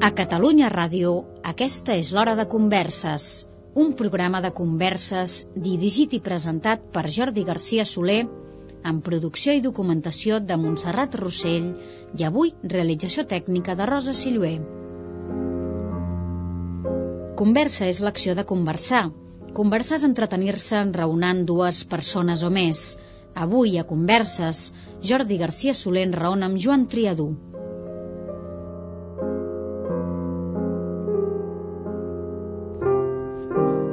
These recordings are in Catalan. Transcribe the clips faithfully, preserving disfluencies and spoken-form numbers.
A Catalunya Ràdio, aquesta és l'Hora de Converses, un programa de converses dirigit i presentat per Jordi Garcia Soler, amb producció i documentació de Montserrat Rossell i avui realització tècnica de Rosa Silluer. Conversa és l'acció de conversar. Conversar és entretenir-se enraonant dues persones o més. Avui, a Converses, Jordi Garcia Soler enraona amb Joan Triadú.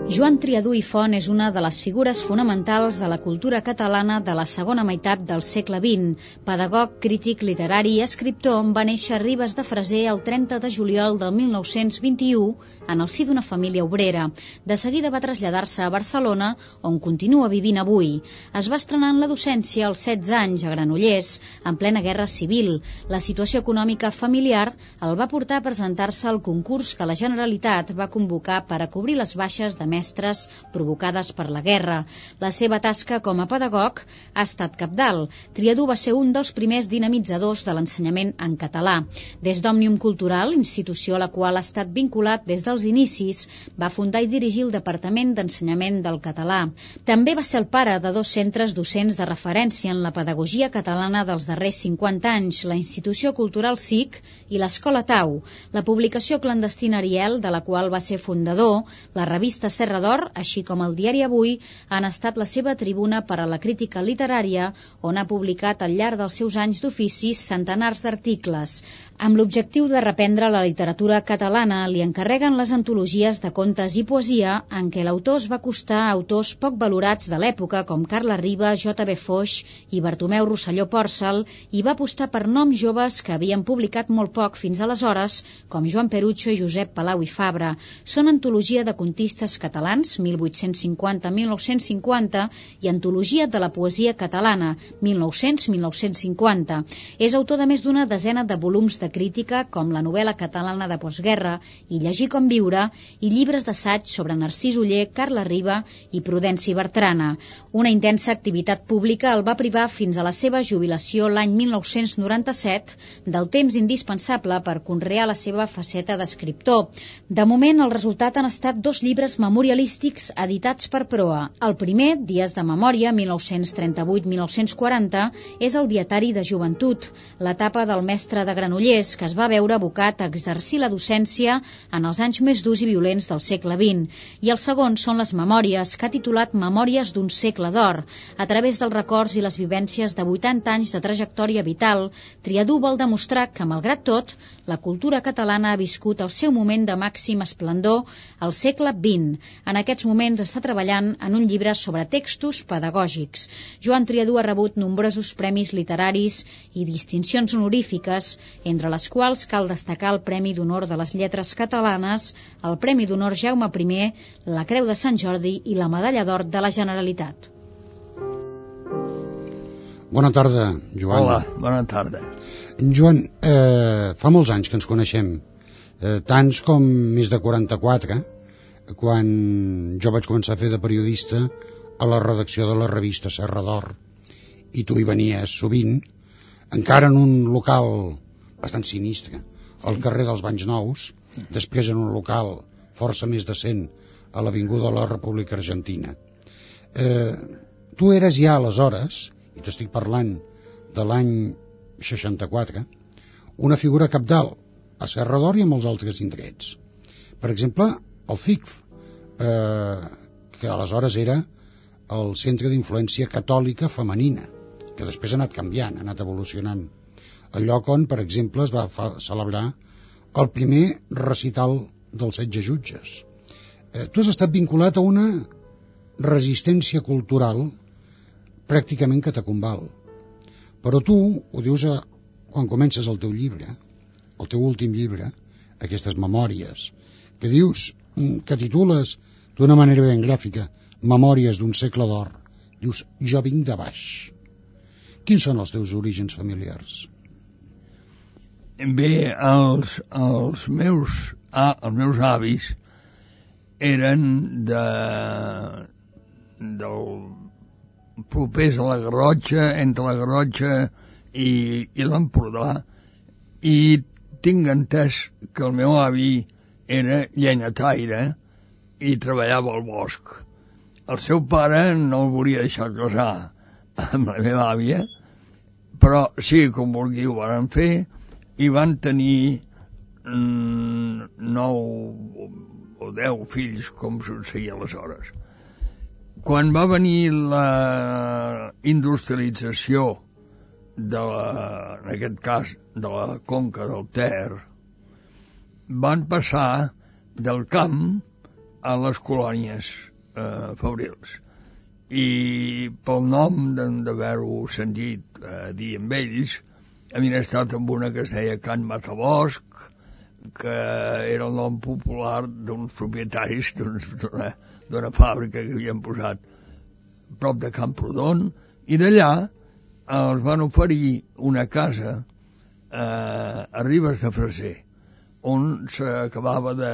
Joan Triadú i Font és una de les figures fonamentals de la cultura catalana de la segona meitat del segle vint. Pedagog, crític literari i escriptor, va néixer a Ribes de Freser el trenta de juliol del mil nou-cents vint-i-u en el si d'una família obrera. De seguida va traslladar-se a Barcelona, on continua vivint avui. Es va estrenar en la docència als setze anys a Granollers, en plena guerra civil. La situació econòmica familiar el va portar a presentar-se al concurs que la Generalitat va convocar per a cobrir les baixes de mestres provocades per la guerra. La seva tasca com a pedagog ha estat cabdal. Triadú va ser un dels primers dinamitzadors de l'ensenyament en català. Des d'Òmnium Cultural, institució a la qual ha estat vinculat des dels inicis, va fundar i dirigir el Departament d'Ensenyament del Català. També va ser el pare de dos centres docents de referència en la pedagogia catalana dels darrers cinquanta anys, la Institució Cultural S I C i l'Escola Tau, la publicació clandestina Ariel, de la qual va ser fundador, la revista Serra d'Or, així com el diari Avui, han estat la seva tribuna per a la crítica literària, on ha publicat al llarg dels seus anys d'oficis centenars d'articles. Amb l'objectiu de reprendre la literatura catalana, li encarreguen les antologies de contes i poesia, en què l'autor es va acostar a autors poc valorats de l'època, com Carles Riba, J B Foix i Bartomeu Rosselló Pòrcel, i va apostar per noms joves que havien publicat molt poc fins aleshores, com Joan Perucho i Josep Palau i Fabra. Són antologia de contistes catalans, mil vuit-cents cinquanta a mil nou-cents cinquanta, i Antologia de la poesia catalana, mil nou-cents a mil nou-cents cinquanta. És autor de més d'una desena de volums de crítica, com la novel·la catalana de postguerra i Llegir com viure, i llibres d'assaig sobre Narcís Oller, Carles Riba i Prudenci Bertrana. Una intensa activitat pública el va privar fins a la seva jubilació l'any mil nou-cents noranta-set del temps indispensable per conrear la seva faceta d'escriptor. De moment, el resultat han estat dos llibres memorialístics editats per Proa. El primer, Dies de memòria, mil nou-cents trenta-vuit a mil nou-cents quaranta, és el dietari de joventut, l'etapa del mestre de Granollers, que es va veure abocat a exercir la docència en els anys més durs i violents del segle vint. I el segon són les memòries, que ha titulat Memòries d'un segle d'or. A través dels records i les vivències de vuitanta anys de trajectòria vital, Triadú vol demostrar que, malgrat tot, la cultura catalana ha viscut el seu moment de màxim esplendor al segle vint. En aquests moments està treballant en un llibre sobre textos pedagògics. Joan Triadú ha rebut nombrosos premis literaris i distincions honorífiques, entre les quals cal destacar el Premi d'Honor de les Lletres Catalanes, el Premi d'Honor Jaume I, la Creu de Sant Jordi i la Medalla d'Or de la Generalitat. Bona tarda, Joan. Hola, bona tarda. Joan, eh, fa molts anys que ens coneixem, eh, tants com més de quaranta-quatre, quan jo vaig començar a fer de periodista a la redacció de la revista Serra d'Or, i tu hi venies sovint, encara en un local bastant sinistre, al carrer dels Banys Nous, després en un local força més decent a l'avinguda de la República Argentina. Eh, tu eres ja aleshores, i t'estic parlant de l'any seixanta-quatre, una figura cabdal a Serra d'Or i a molts altres indrets. Per exemple, el C I C F, eh, que aleshores era el Centre d'Influència Catòlica Femenina, que després ha anat canviant, ha anat evolucionant. El lloc on, per exemple, es va fa, celebrar el primer recital dels setze jutges. Eh, tu has estat vinculat a una resistència cultural pràcticament catacumbal. Però tu ho dius a, quan comences el teu llibre, el teu últim llibre, aquestes memòries, que dius, que titules d'una manera ben gràfica, Memòries d'un segle d'or. Dius, jo vinc de baix. Quins són els teus orígens familiars? Bé, els, els, meus, ah, els meus avis eren de, del propers a la Garrotxa, entre la Garrotxa i, i l'Empordà, i tinc entès que el meu avi era llenyataire i treballava al bosc. El seu pare no el volia deixar casar amb la meva àvia, però sí, com vulgui, ho van fer i van tenir mm, nou o deu fills, com succeïa aleshores. Quan va venir la industrialització de la, en aquest cas de la conca del Ter, van passar del camp a les colònies eh, fabrils, i pel nom d'haver-ho sentit eh, dir amb ells, havien estat amb una que es deia Can Matabosc, que era el nom popular d'uns propietaris d'una d'una fàbrica que havien posat prop de Camprodon, i d'allà els van oferir una casa eh, a Ribes de Freser, on s'acabava de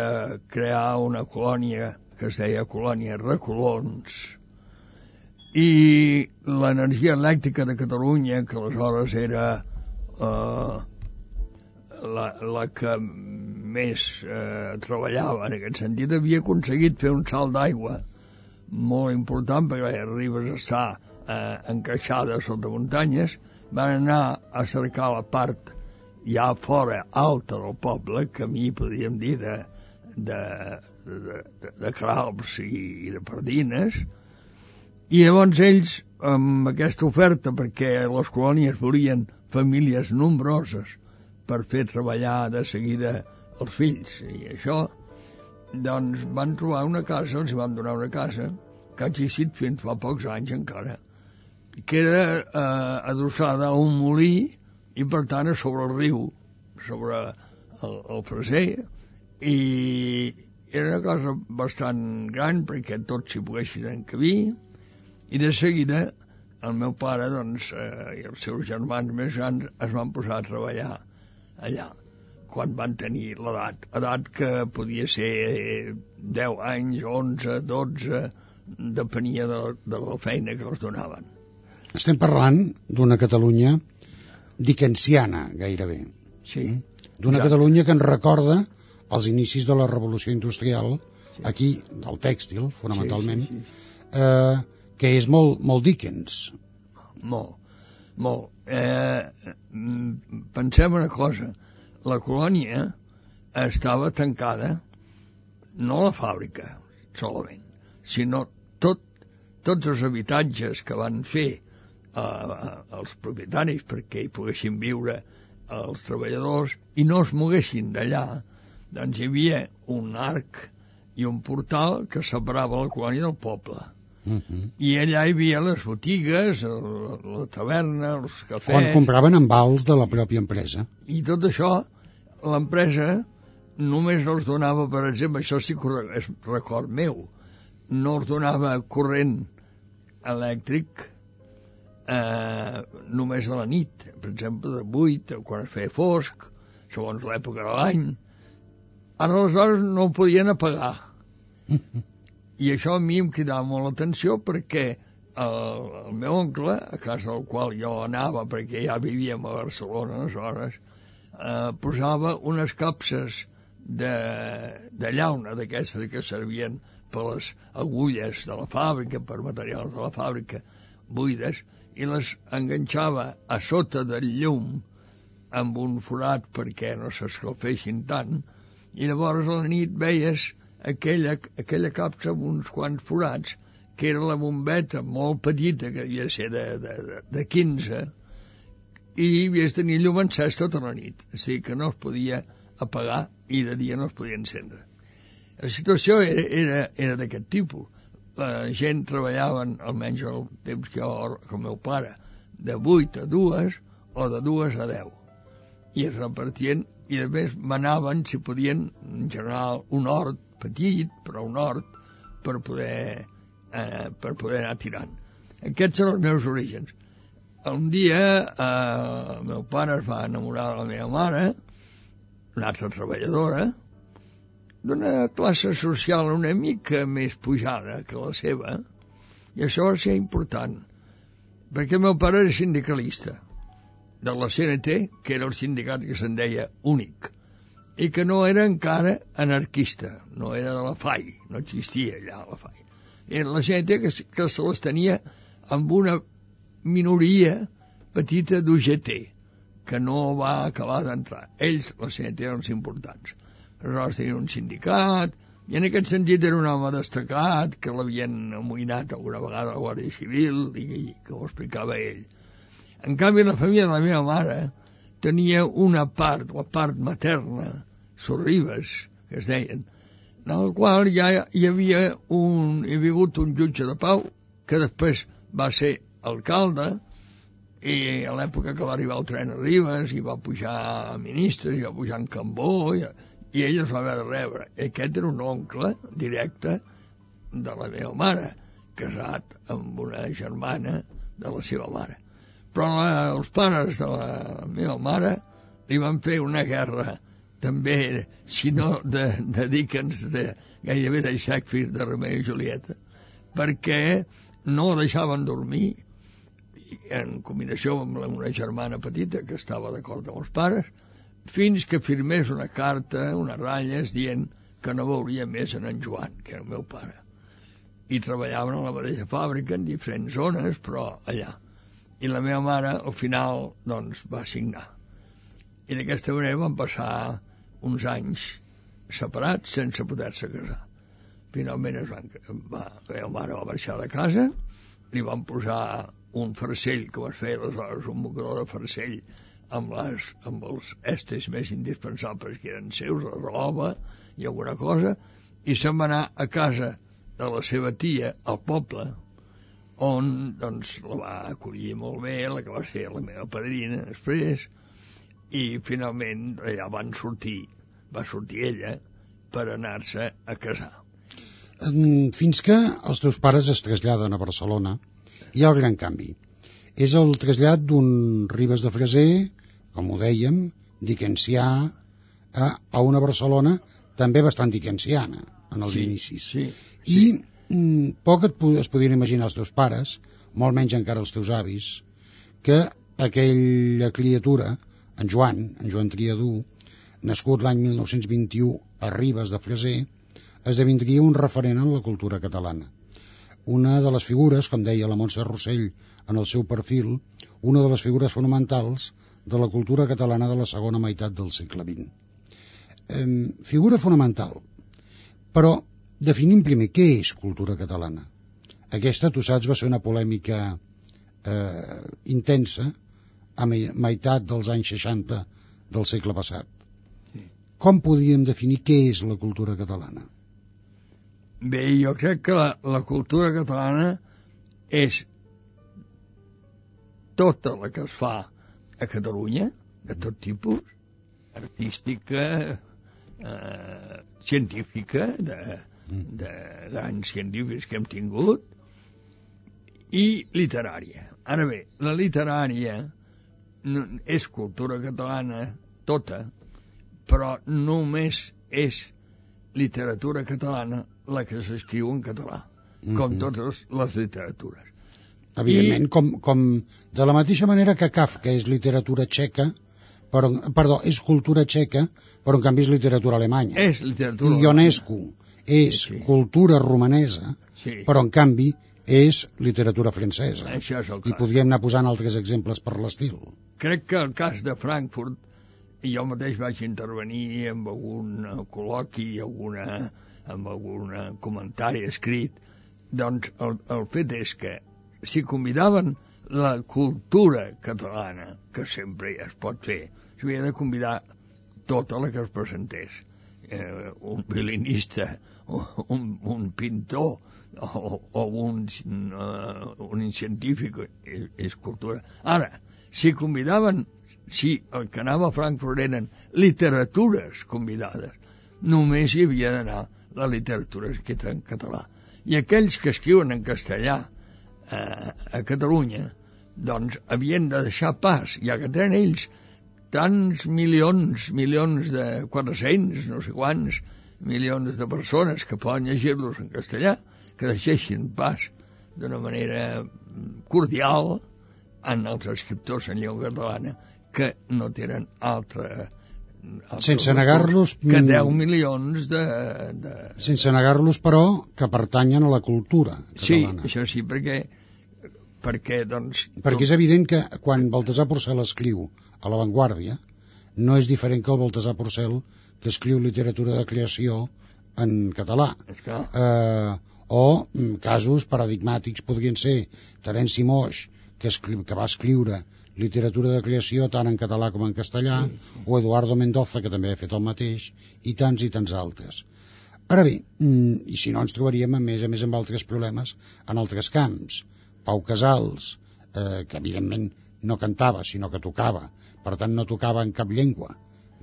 crear una colònia que es deia Colònia Recolons, i l'energia elèctrica de Catalunya, que aleshores era eh, la, la que més eh, treballava en aquest sentit, havia aconseguit fer un salt d'aigua molt important, perquè Ribes està eh, encaixada sota muntanyes. Van anar a cercar la part ja fora alta del poble, que a mi podríem dir de, de, de, de, de Cralps i, i de Pardines, i llavors ells, amb aquesta oferta, perquè les colònies volien famílies nombroses per fer treballar de seguida els fills, i això, doncs van trobar una casa, els van donar una casa, que ha existit fins fa pocs anys encara, que era eh, adossada a un molí, i per tant a sobre el riu, sobre el, el Freser, i era una cosa bastant gran perquè tots s'hi poguessin encabir, i de seguida el meu pare, doncs, eh, i els seus germans més grans es van posar a treballar allà, quan van tenir l'edat, edat que podia ser deu anys, onze, dotze, depenia de, de la feina que els donaven. Estem parlant d'una Catalunya dickensiana, gairebé. Sí. D'una exacte. Catalunya que ens recorda els inicis de la revolució industrial, sí. Aquí, del tèxtil, fonamentalment, sí, sí, sí. Eh, que és molt, molt Dickens. Molt, molt. Eh, pensem una cosa, la colònia estava tancada, no la fàbrica solament, sinó tot, tots els habitatges que van fer eh, els propietaris perquè hi poguessin viure els treballadors i no es moguessin d'allà. Doncs hi havia un arc i un portal que separava la colònia del poble. Uh-huh. I allà hi havia les botigues, la, la taverna, els cafès... On compraven en vals de la pròpia empresa. I tot això, l'empresa només els donava, per exemple, això sí que és record meu, no els donava corrent elèctric eh, només a la nit, per exemple, de vuit, quan es feia fosc, segons l'època de l'any. Ara, aleshores, no ho podien apagar. I això a mi em cridava molt l'atenció perquè el, el meu oncle, a casa del qual jo anava perquè ja vivíem a Barcelona aleshores, eh, posava unes capses de, de llauna d'aquestes que servien per les agulles de la fàbrica, per materials de la fàbrica buides, i les enganxava a sota del llum amb un forat perquè no s'escalfessin tant, i llavors a la nit veies aquella, aquella capsa amb uns quants forats, que era la bombeta molt petita, que devia ser de, de, de, de quinze, i havies de tenir llum encès tota la nit, o sigui que no es podia apagar i de dia no es podia encendre. La situació era, era, era d'aquest tipus. La gent treballava, almenys el temps que jo, com el meu pare, de vuit a dues o de dues a deu, i es repartien, i a més manaven si podien, en general, un hort petit, però un hort per poder, eh, per poder anar tirant. Aquests són els meus orígens. Un dia eh, el meu pare es va enamorar de la meva mare, una altra treballadora, d'una classe social una mica més pujada que la seva, i això va ser important, perquè el meu pare era sindicalista, de la C N T, que era el sindicat que se'n deia únic, i que no era encara anarquista, no era de la F A I, no existia allà la F A I. Era la C N T que, que se les tenia amb una minoria petita d'U G T, que no va acabar d'entrar. Ells, la C N T, eren els importants. Aleshores tenien un sindicat, i en aquest sentit era un home destacat, que l'havien amoïnat alguna vegada a la Guàrdia Civil, i, i que ho explicava ell. En canvi, la família de la meva mare tenia una part, la part materna, Sorribes, que es deien, en el qual ja hi havia un, hi havia hagut un jutge de pau, que després va ser alcalde, i a l'època que va arribar el tren a Ribes, i va pujar a ministres, i va pujar en Cambó, i, i ell es va haver de rebre. I aquest era un oncle directe de la meva mare, casat amb una germana de la seva mare. Però la, els pares de la meva mare li van fer una guerra, també, si no de, de Dickens, de, gairebé de Shakespeare, de Romeo i Julieta, perquè no deixaven dormir, en combinació amb una germana petita que estava d'acord amb els pares, fins que firmés una carta, unes ratlles, dient que no veuria més en en Joan, que era el meu pare. I treballaven a la mateixa fàbrica, en diferents zones, però allà. I la meva mare, al final, doncs, va signar. I d'aquesta manera van passar uns anys separats sense poder-se casar. Finalment es van, va, la meva mare va marxar de casa, li van posar un farcell, que vas fer aleshores un mocador de farcell amb, les, amb els estes més indispensables que eren seus, la roba i alguna cosa, i se'n va anar a casa de la seva tia al poble, on doncs la va acollir molt bé, la que va ser la meva padrina després, i finalment allà van sortir, va sortir ella per anar-se a casar. Fins que els teus pares es traslladen a Barcelona, hi ha el gran canvi. És el trasllat d'un Ribes de Freser, com ho dèiem, dickensià, a, a una Barcelona també bastant dickensiana en els sí, inicis. Sí, I sí. mm, poc et, es podien imaginar els teus pares, molt menys encara els teus avis, que aquella criatura, en Joan, en Joan Triadú, nascut l'any mil nou-cents vint-i-u a Ribes de Freser, esdevindria un referent en la cultura catalana. Una de les figures, com deia la Montse Rossell en el seu perfil, una de les figures fonamentals de la cultura catalana de la segona meitat del segle vint. Eh, figura fonamental. Però definim primer què és cultura catalana. Aquesta, tu saps, va ser una polèmica eh, intensa a meitat dels anys seixanta del segle passat. Com podíem definir què és la cultura catalana? Bé, jo crec que la, la cultura catalana és tota la que es fa a Catalunya, de tot tipus, artística, eh, científica, de, de grans científics que hem tingut, i literària. Ara bé, la literària no, és cultura catalana tota, però només és literatura catalana la que s'escriu en català, mm-hmm. com totes les literatures. Evidentment, I... com, com de la mateixa manera que Kafka és literatura txeca, però, perdó, és cultura txeca, però en canvi és literatura alemanya. És literatura I Ionescu és sí, sí. cultura romanesa, sí. però en canvi és literatura francesa. Això és el cas. I podríem anar posant altres exemples per l'estil. Crec que el cas de Frankfurt, jo mateix vaig intervenir amb algun col·loqui, alguna, amb algun comentari escrit, doncs el, el fet és que si convidaven la cultura catalana, que sempre es pot fer, s'havia de convidar tota la que es presentés. Eh, un violinista, un, un pintor, o, o un, uh, un científic, és, és cultura. Ara, si convidaven, si el que anava a Frankfurt eren literatures convidades, només hi havia d'anar la literatura escrita en català. I aquells que escriuen en castellà eh, a Catalunya, doncs havien de deixar pas, ja que tenen ells tants milions, milions de quatre-cents, no sé quants, milions de persones que poden llegir-los en castellà, que deixessin pas d'una manera cordial en els escriptors en llengua catalana que no tenen altra... Sense negar-los... Que deu milions de, de... Sense negar-los, però, que pertanyen a la cultura catalana. Sí, això sí, perquè... Perquè, doncs... Perquè és evident que quan Baltasar Porcel escriu a La Vanguardia, no és diferent que el Baltasar Porcel que escriu literatura de creació en català. Eh, o casos paradigmàtics podrien ser Terenci Moix, que, escri... que va escriure literatura de creació tant en català com en castellà, sí, sí. O Eduardo Mendoza, que també ha fet el mateix, i tants i tants altres. Ara bé, i si no ens trobaríem a més a més amb altres problemes en altres camps. Pau Casals, eh, que evidentment no cantava, sinó que tocava, per tant no tocava en cap llengua,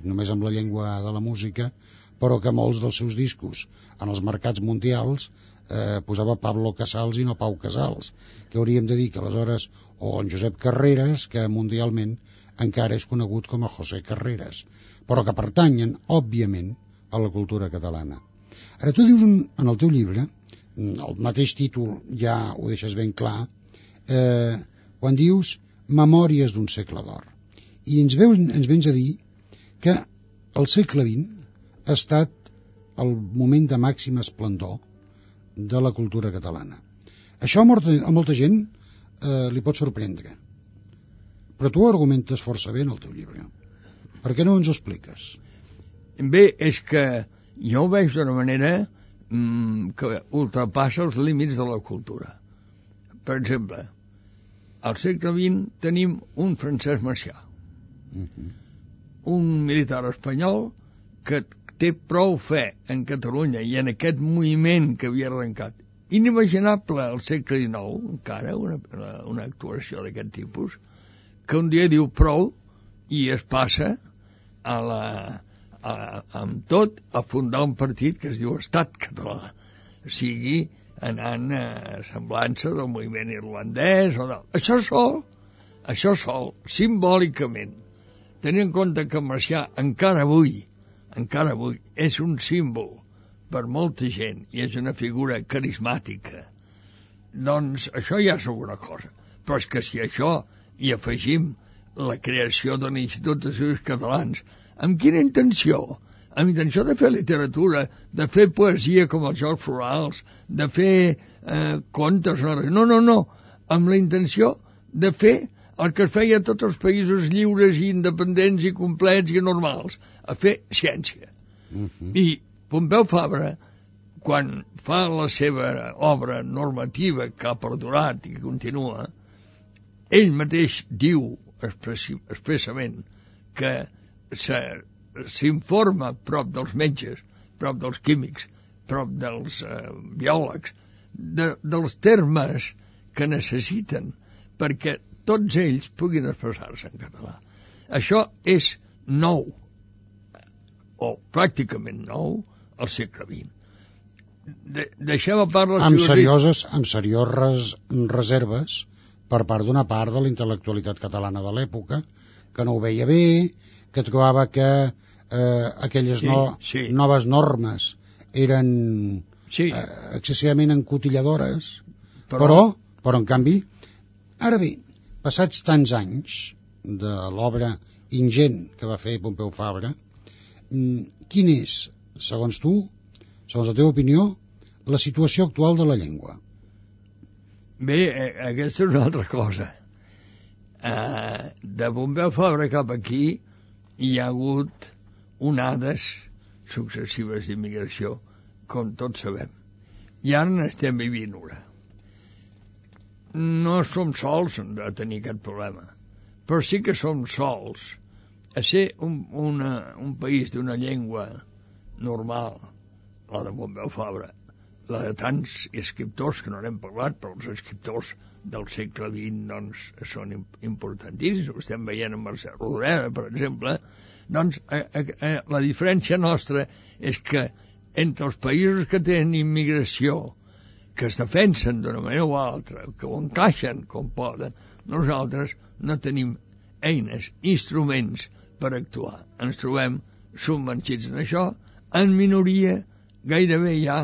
només amb la llengua de la música, però que molts dels seus discos en els mercats mundials eh, posava Pablo Casals i no Pau Casals, que hauríem de dir que aleshores, o en Josep Carreras, que mundialment encara és conegut com a José Carreras, però que pertanyen, òbviament, a la cultura catalana. Ara tu dius en el teu llibre, el mateix títol ja ho deixes ben clar, eh, quan dius Memòries d'un segle d'or, i ens, veus, ens vens a dir que el segle vint ha estat el moment de màxim esplendor de la cultura catalana. Això a molta, a molta gent eh, li pot sorprendre, però tu ho argumentes força bé en el teu llibre. Per què no ens ho expliques? Bé, és que jo ho veig d'una manera mmm, que ultrapassa els límits de la cultura. Per exemple, al segle vint tenim un Francesc Macià, uh-huh. un militar espanyol que té prou fe en Catalunya i en aquest moviment que havia arrencat. Inimaginable al segle dinou, encara, una, una actuació d'aquest tipus, que un dia diu prou i es passa a la, a, amb tot a fundar un partit que es diu Estat Català, o sigui, anant a semblança del moviment irlandès o del... Això sol, això sol, simbòlicament, tenint en compte que Macià encara avui encara avui és un símbol per molta gent i és una figura carismàtica, doncs això ja és alguna cosa. Però és que si això hi afegim la creació de l'Institut d'Estudis Catalans, amb quina intenció? Amb intenció de fer literatura, de fer poesia com els Jocs Florals, de fer eh, contes, no, no, no, amb la intenció de fer el que es feia a tots els països lliures i independents i complets i normals, a fer ciència. Uh-huh. I Pompeu Fabra, quan fa la seva obra normativa que ha perdurat i que continua, ell mateix diu expressament que s'informa prop dels metges, prop dels químics, prop dels eh, biòlegs, de, dels termes que necessiten perquè tots ells puguin expressar-se en català. Això és nou, o pràcticament nou, al segle vint. De, deixem a part les amb serioses, amb serioses reserves per part d'una part de la intel·lectualitat catalana de l'època, que no ho veia bé, que trobava que eh, aquelles sí, no, sí. noves normes eren sí. eh, excessivament encotilladores, però... però, però en canvi, ara bé, passats tants anys de l'obra ingent que va fer Pompeu Fabra, quin és, segons tu, segons la teva opinió, la situació actual de la llengua? Bé, aquesta és una altra cosa. Uh, de Pompeu Fabra cap aquí hi ha hagut onades successives d'immigració, com tots sabem. I ara n'estem vivint una. No som sols a tenir aquest problema, però sí que som sols a ser un, una, un país d'una llengua normal, la de Pompeu Fabra, la de tants escriptors que no n'hem parlat, però els escriptors del segle vint doncs, són importantíssims. Ho estem veient amb Mercè Rodoreda, per exemple. Doncs a, a, a, la diferència nostra és que entre els països que tenen immigració, que es defensen d'una manera o altra, que ho encaixen com poden, nosaltres no tenim eines, instruments per actuar. Ens trobem submergits en això, en minoria, gairebé ja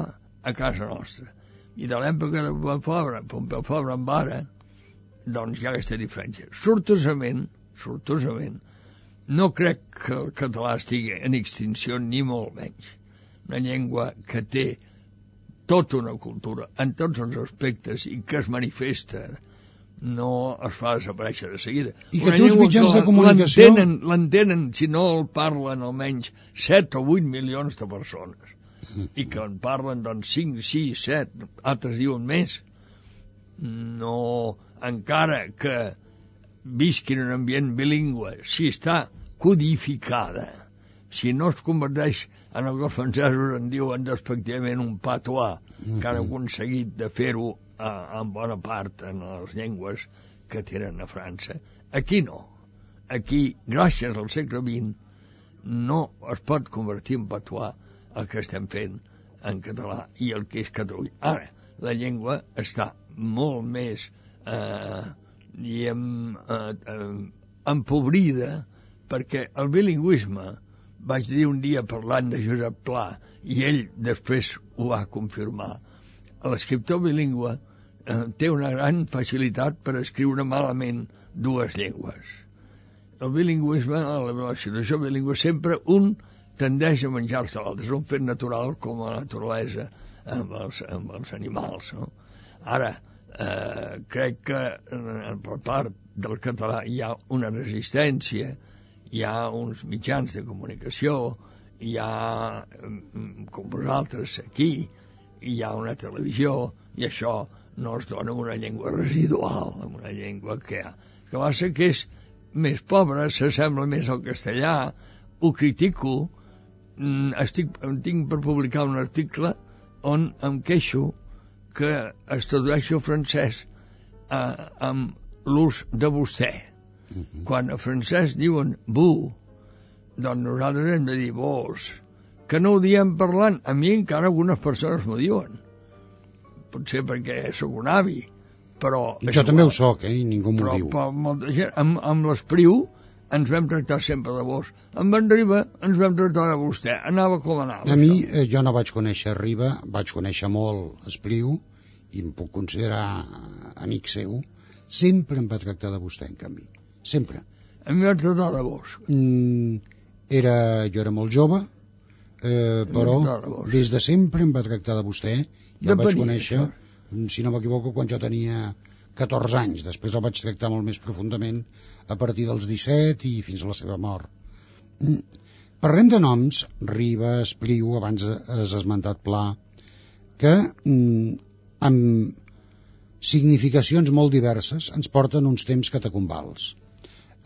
a casa nostra. I de l'època de Pompeu Fabra, Pompeu Fabra en ara, doncs hi ha aquesta diferència. Sortosament, sortosament, no crec que el català estigui en extinció ni molt menys. Una llengua que té tota una cultura en tots els aspectes i que es manifesta, no es fa desaparèixer de seguida. I que tu els mitjans de comunicació... L'entenen, si no el parlen almenys set o vuit milions de persones. I que en parlen doncs cinc, sis, set, altres diuen més. No, encara que visqui en un ambient bilingüe, si està codificada, si no es converteix en el que els francesos en diuen despectivament un patois, mm-hmm. que han aconseguit de fer-ho a, en bona part en les llengües que tenen a França. Aquí no. Aquí, gràcies al segle vint, no es pot convertir en patois el que estem fent en català i el que és Catalunya. Ara, la llengua està molt més eh, diguem, eh, eh, empobrida, perquè el bilingüisme, vaig dir un dia parlant de Josep Pla, i ell després ho va confirmar, l'escriptor bilingüe eh, té una gran facilitat per escriure malament dues llengües. El bilingüisme, la situació bilingüe, sempre un tendeix a menjar-se l'altre, és un fet natural com a naturalesa amb els, amb els animals, no? Ara, eh, crec que eh, per part del català hi ha una resistència, hi ha uns mitjans de comunicació, hi ha, com vosaltres aquí, hi ha una televisió, i això no es dona una llengua residual, una llengua que, que va ser que és més pobra, s'assembla més al castellà, ho critico, estic, tinc per publicar un article on em queixo que es tradueixi el francès eh, amb l'ús de vostè. Uh-huh. Quan a francès diuen vous, doncs nosaltres hem de dir vos, que no ho diem parlant. A mi encara algunes persones m'ho diuen. Potser perquè sóc un avi, però... Jo també ho soc, eh, i ningú m'ho però, diu. Però molta gent, amb, amb l'Espriu ens vam tractar sempre de vos. Amb en Riba ens vam tractar de vostè. Anava com anava. A mi, eh, jo no vaig conèixer Riba, vaig conèixer molt Espriu, i em puc considerar amic seu. Sempre em va tractar de vostè, en canvi. Sempre. A mi va tractar de vos. Mm, era, jo era molt jove, eh, però de des de sempre em va tractar de vostè. Jo el vaig conèixer, això. Si no m'equivoco, quan jo tenia catorze anys. Després el vaig tractar molt més profundament a partir dels disset i fins a la seva mort. Mm. Parlem de noms, Riba, Espriu, abans has esmentat Pla, que mm, amb significacions molt diverses ens porten uns temps catacumbals.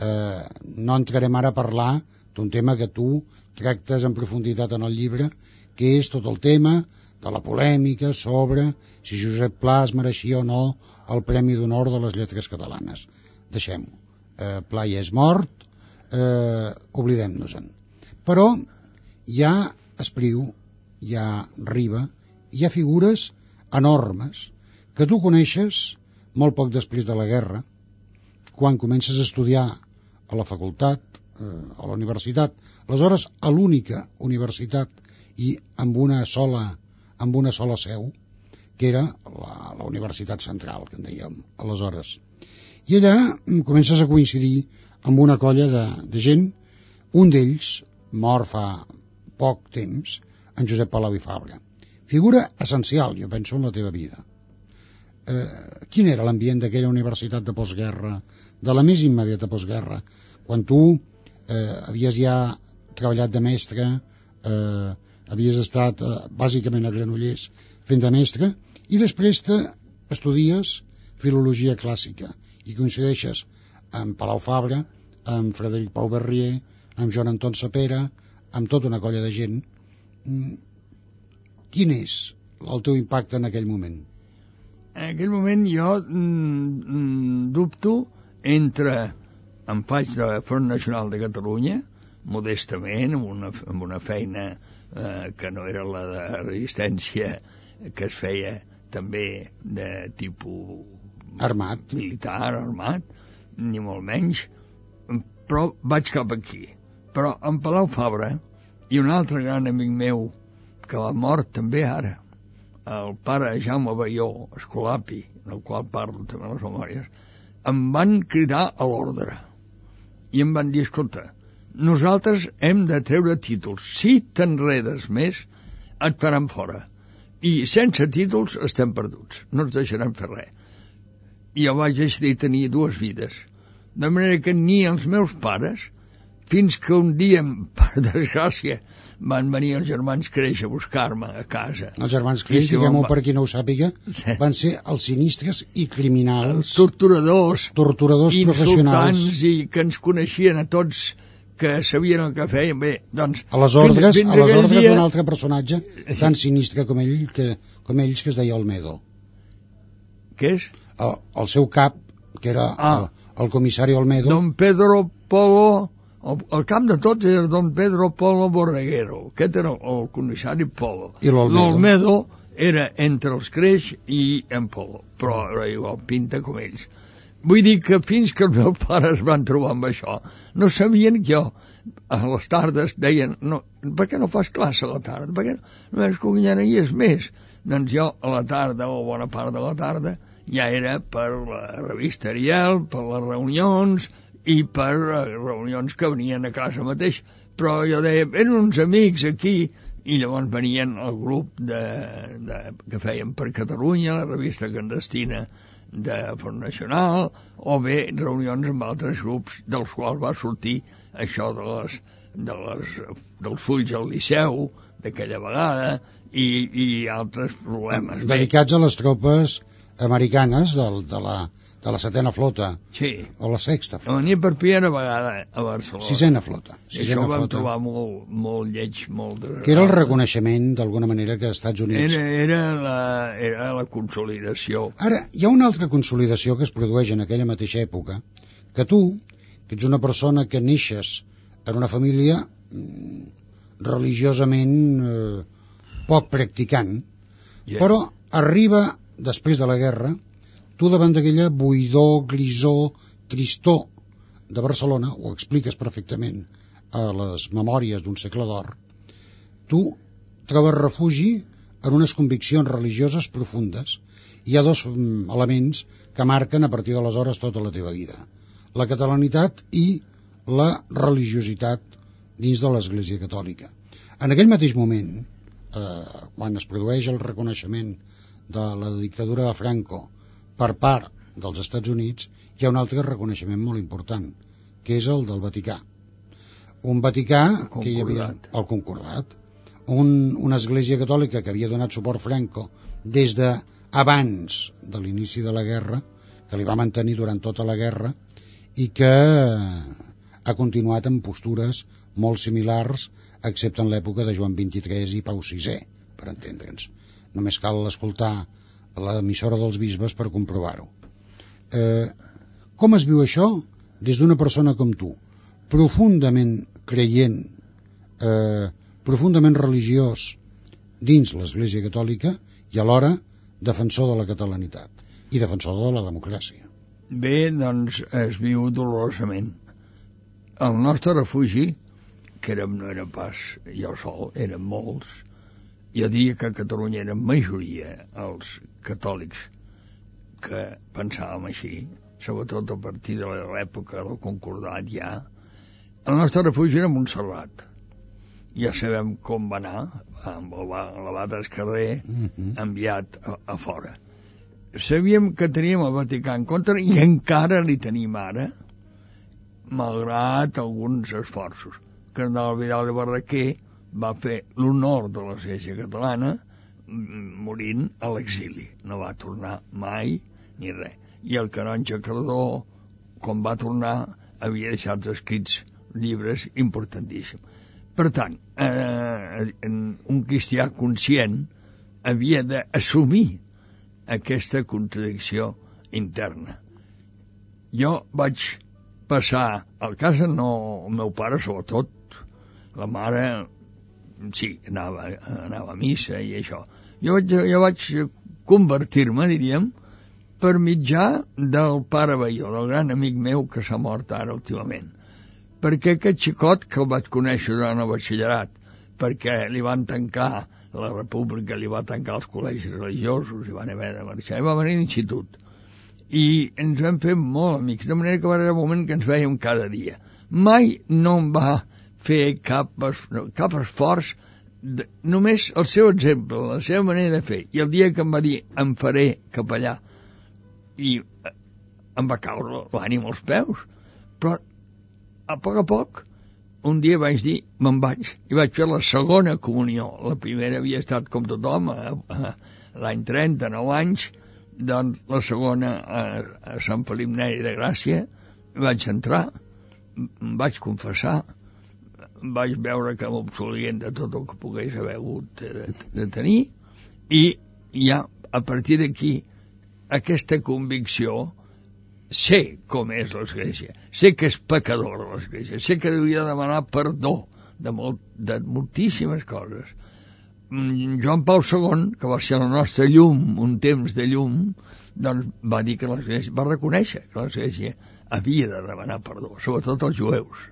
Eh, no entrarem ara a parlar d'un tema que tu tractes en profunditat en el llibre, que és tot el tema de la polèmica sobre si Josep Pla es mereixia o no el Premi d'Honor de les Lletres Catalanes. Deixem-ho. Eh, Pla ja és mort, eh, oblidem-nos-en. Però hi ha Espriu, hi ha Riba, hi ha figures enormes que tu coneixes molt poc després de la guerra, quan comences a estudiar a la facultat, eh, a la universitat, aleshores a l'única universitat i amb una sola, amb una sola seu, que era la, la Universitat Central, que en dèiem aleshores. I allà comences a coincidir amb una colla de, de gent, un d'ells, mort fa poc temps, en Josep Palau i Fabra. Figura essencial, jo penso, en la teva vida. Eh, quin era l'ambient d'aquella universitat de postguerra, de la més immediata postguerra, quan tu eh, havies ja treballat de mestre, eh, havies estat eh, bàsicament a Granollers fent de mestre, i després te estudies filologia clàssica i coincideixes amb Palau Fabra, amb Frederic Pau Berrier, amb Joan Anton Sapera, amb tota una colla de gent. Quin és el teu impacte en aquell moment? En aquell moment jo mm, dubto entre em faig de Front Nacional de Catalunya, modestament, amb una, amb una feina eh, que no era la de resistència que es feia també de tipus armat, militar, armat, ni molt menys, però vaig cap aquí. Però en Palau Fabra i un altre gran amic meu que va mort també ara, el pare Jaume Baió Escolapi, del qual parlo també a les memòries, em van cridar a l'ordre i em van dir, escolta, nosaltres hem de treure títols. Si t'enredes més, et faran fora. I sense títols estem perduts. No ens deixaran fer res. I jo vaig decidir tenir dues vides. De manera que ni els meus pares, fins que un dia, per desgràcia, van venir els germans Creix a buscar-me a casa. Els germans Creix, si diguem-ho per qui no ho sàpiga, sí. Van ser els sinistres i criminals. Els torturadors. Torturadors professionals. Insultants i que ens coneixien a tots, que sabien el que feien. Bé, doncs... A les ordres, fins, fins a les ordres dia... d'un altre personatge tan sinistre com ell, que, com ells, que es deia Olmedo. Què és? El, el seu cap, que era ah. el, el comissari Olmedo. Don Pedro Polo... El, el cap de tots era Don Pedro Polo Borreguero. Aquest era el comissari Polo. I l'Olmedo era entre els Creix i en Polo, però era igual, pinta com ells. Vull dir que fins que els meus pares van trobar amb això, no sabien que jo a les tardes deien, no, per què no fas classe a la tarda? Per què no, no és cogunyaries més? Doncs jo a la tarda, o bona part de la tarda, ja era per la revista Ariel, per les reunions i per reunions que venien a casa mateix. Però jo deia, eren uns amics aquí, i llavors venien el grup de, de, que feien per Catalunya, la revista clandestina de Front Nacional, o bé reunions amb altres grups dels quals va sortir això de les, de les, dels fulls al Liceu d'aquella vegada i, i altres problemes. Dedicats a les tropes americanes del, de la de la setena flota, sí. O la sexta flota. Venia per primera vegada a Barcelona. Sisena flota. Sisena I això ho vam flota. Trobar molt, molt lleig, molt... Desagradable. Que era el reconeixement, d'alguna manera, que als Estats Units... Era, era, la, era la consolidació. Ara, hi ha una altra consolidació que es produeix en aquella mateixa època, que tu, que ets una persona que neixes en una família mm, religiosament eh, poc practicant, yeah. Però arriba, després de la guerra, tu davant d'aquella buidor, grisor, tristor de Barcelona, ho expliques perfectament a les memòries d'un segle d'or, tu trobes refugi en unes conviccions religioses profundes. Hi ha dos elements que marquen a partir d'aleshores tota la teva vida: la catalanitat i la religiositat dins de l'Església Catòlica. En aquell mateix moment, eh, quan es produeix el reconeixement de la dictadura de Franco per part dels Estats Units, hi ha un altre reconeixement molt important, que és el del Vaticà. Un Vaticà que hi havia el Concordat, un, una església catòlica que havia donat suport Franco des de abans de l'inici de la guerra, que li va mantenir durant tota la guerra i que ha continuat amb postures molt similars, excepte en l'època de Joan vint-i-tres i Pau sisè, per entendre'ns. Només cal escoltar l'emissora dels bisbes per comprovar-ho. Eh, com es viu això des d'una persona com tu, profundament creient, eh, profundament religiós dins l'Església Catòlica i alhora defensor de la catalanitat i defensor de la democràcia? Bé, doncs es viu dolorosament. El nostre refugi, que érem, no era pas jo sol, eren molts. Jo diria que a Catalunya era majoria els catòlics que pensàvem així, sobretot a partir de l'època del Concordat ja. El nostre refugi era Montserrat. Ja sabem com va anar, amb l'abat Escarrer enviat a, a fora. Sabíem que teníem el Vaticà en contra i encara li tenim ara, malgrat alguns esforços. Cardenal Vidal de Barraquer va fer l'honor de l'Església Catalana morint a l'exili. No va tornar mai ni res. I el canonge Cardó, quan va tornar, havia deixat escrits llibres importantíssims. Per tant, eh, un cristià conscient havia d'assumir aquesta contradicció interna. Jo vaig passar al casa, no el meu pare sobretot, la mare sí, anava, anava a missa i això. Jo vaig, jo vaig convertir-me, diríem, per mitjà del pare Baió, del gran amic meu que s'ha mort ara últimament. Perquè aquest xicot que el vaig conèixer durant el batxillerat, perquè li van tancar, la república li va tancar els col·legis religiosos i van haver de marxar, i va venir a l'institut. I ens vam fer molt amics, de manera que va haver un moment que ens vèiem cada dia. mai no em va fer cap, cap esforç, de, només el seu exemple, la seva manera de fer. I el dia que em va dir em faré capellà, i em va caure l'ànim als peus, però a poc a poc un dia vaig dir me'n vaig, i vaig fer la segona comunió. La primera havia estat com tothom a, a, l'any trenta, nou anys, doncs la segona a, a Sant Felip Neri de Gràcia. Vaig entrar, em vaig confessar, vaig veure que m'absolien de tot el que pogués haver hagut de, de tenir, i ja a partir d'aquí aquesta convicció, sé com és l'Església, sé que és pecadora l'Església, sé que hauria de demanar perdó de, molt, de moltíssimes coses. Joan Pau segon, que va ser la nostra llum, un temps de llum, doncs va dir que l'Església, va reconèixer que l'Església havia de demanar perdó, sobretot els jueus.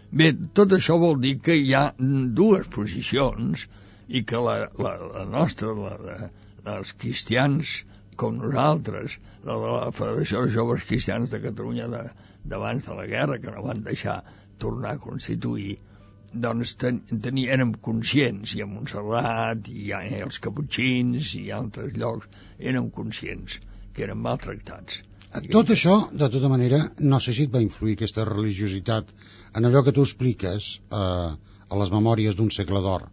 Bé, tot això vol dir que hi ha dues posicions i que la, la, la nostra, la, la, els cristians com nosaltres, la de la Federació de Joves Cristians de Catalunya d'abans de, de la guerra, que no van deixar tornar a constituir, doncs ten, ten, érem conscients, i a Montserrat, i a, i els caputxins, i a altres llocs, érem conscients que eren maltractats. Tot això, de tota manera, no sé si et va influir aquesta religiositat en allò que tu expliques eh, a les memòries d'un segle d'or.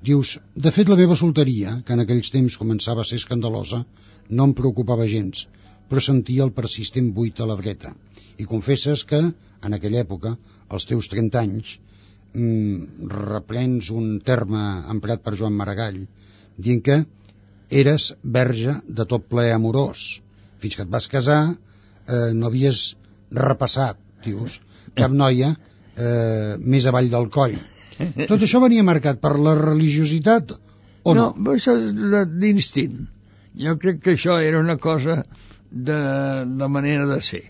Dius, de fet la meva solteria, que en aquells temps començava a ser escandalosa, no em preocupava gens, però sentia el persistent buit a la dreta. I confesses que, en aquella època, als teus trenta anys, mm, reprens un terme emprat per Joan Maragall, dient que eres verge de tot plaer amorós. Fins que et vas casar, eh, no havies repassat, dius, cap noia eh, més avall del coll. Tot això venia marcat per la religiositat o no? No, això és d'instint. Jo crec que això era una cosa de, de manera de ser.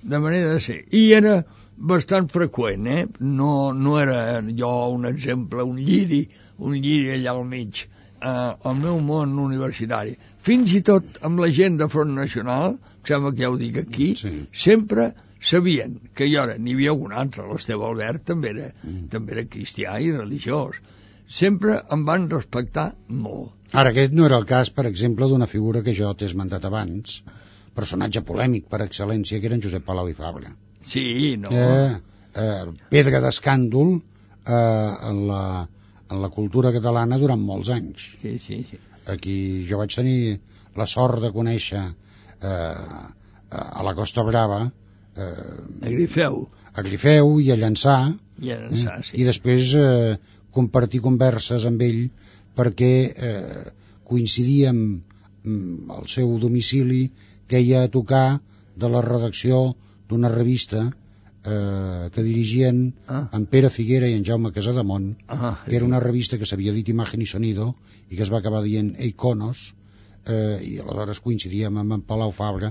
De manera de ser. I era bastant freqüent, eh? No, no era jo un exemple, un lliri, un lliri allà al mig. Uh, al meu món universitari, fins i tot amb la gent de Front Nacional, sembla que ja ho dic aquí, sí. Sempre sabien que jo era, n'hi havia un altre, l'Esteve Albert també era, mm. també era cristià i religiós, sempre em van respectar molt. Ara, aquest no era el cas, per exemple, d'una figura que jo t'he esmentat abans, personatge polèmic per excel·lència, que era en Josep Palau i Fabra. Sí, no? Eh, eh, pedra d'escàndol eh, en la en la cultura catalana durant molts anys. Sí, sí, sí. Aquí jo vaig tenir la sort de conèixer eh, a la Costa Brava eh, a Grifeu a Grifeu i a Llançà, i, a Llançà, eh, sí. I després eh, compartir converses amb ell perquè eh, coincidíem al seu domicili que ella a tocar de la redacció d'una revista Eh, que dirigien ah. en Pere Figuera i en Jaume Casademont, ah, que era una revista que s'havia dit Imagen i Sonido i que es va acabar dient Iconos, eh, i aleshores coincidíem amb en Palau Fabra,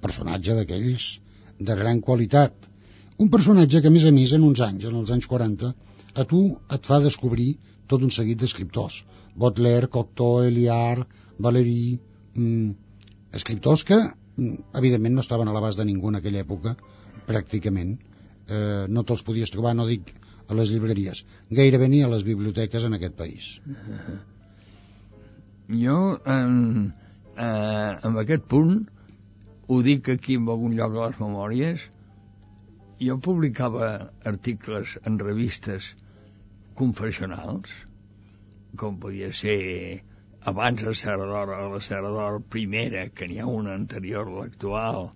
personatge d'aquells de gran qualitat, un personatge que a més a més en uns anys, en els anys quaranta, a tu et fa descobrir tot un seguit d'escriptors, Baudelaire, Cocteau, Eliard, Valéry, mm, escriptors que evidentment no estaven a l'abast de ningú en aquella època, pràcticament eh, no te'ls podies trobar, no dic a les llibreries, gairebé ni a les biblioteques en aquest país. Jo en, eh, en aquest punt ho dic aquí en algun lloc a les memòries. Jo publicava articles en revistes confessionals, com podia ser abans de Serra d'Or, a la Serra d'Or primera, que n'hi ha una anterior a l'actual,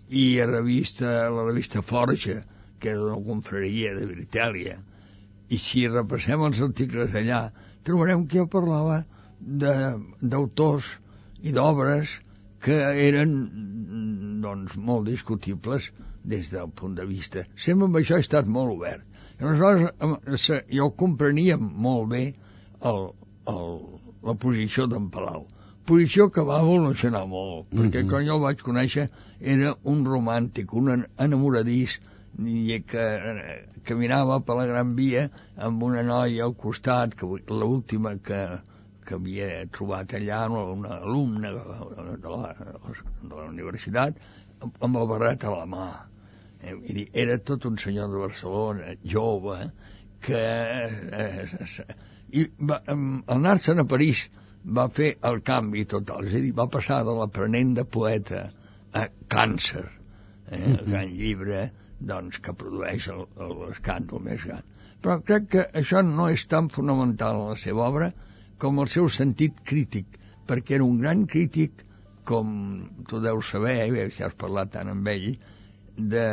i a revista, la revista Forja, que és una confraria de Britàlia. I si repassem els articles d'allà, trobarem que jo parlava d'autors i d'obres que eren, doncs, molt discutibles des del punt de vista. Sempre amb això he estat molt obert. I aleshores jo comprenia molt bé el, el, la posició d'en Palau. Posició que va evolucionar molt, perquè quan jo el vaig conèixer era un romàntic, un enamoradís, i que caminava per la Gran Via amb una noia al costat, que l'última que, que havia trobat allà, una alumna de la, de la, de la universitat, amb el barret a la mà. Eh, era tot un senyor de Barcelona, jove, que eh, eh, i va, al anar-se'n a París va fer el canvi total, és a dir, va passar de l'aprenent de poeta a Càncer, eh, el gran llibre doncs, que produeix el, el, l'escàndol més gran. Però crec que això no és tan fonamental a la seva obra com el seu sentit crític, perquè era un gran crític, com tu deus saber, eh, si has parlat tant amb ell, de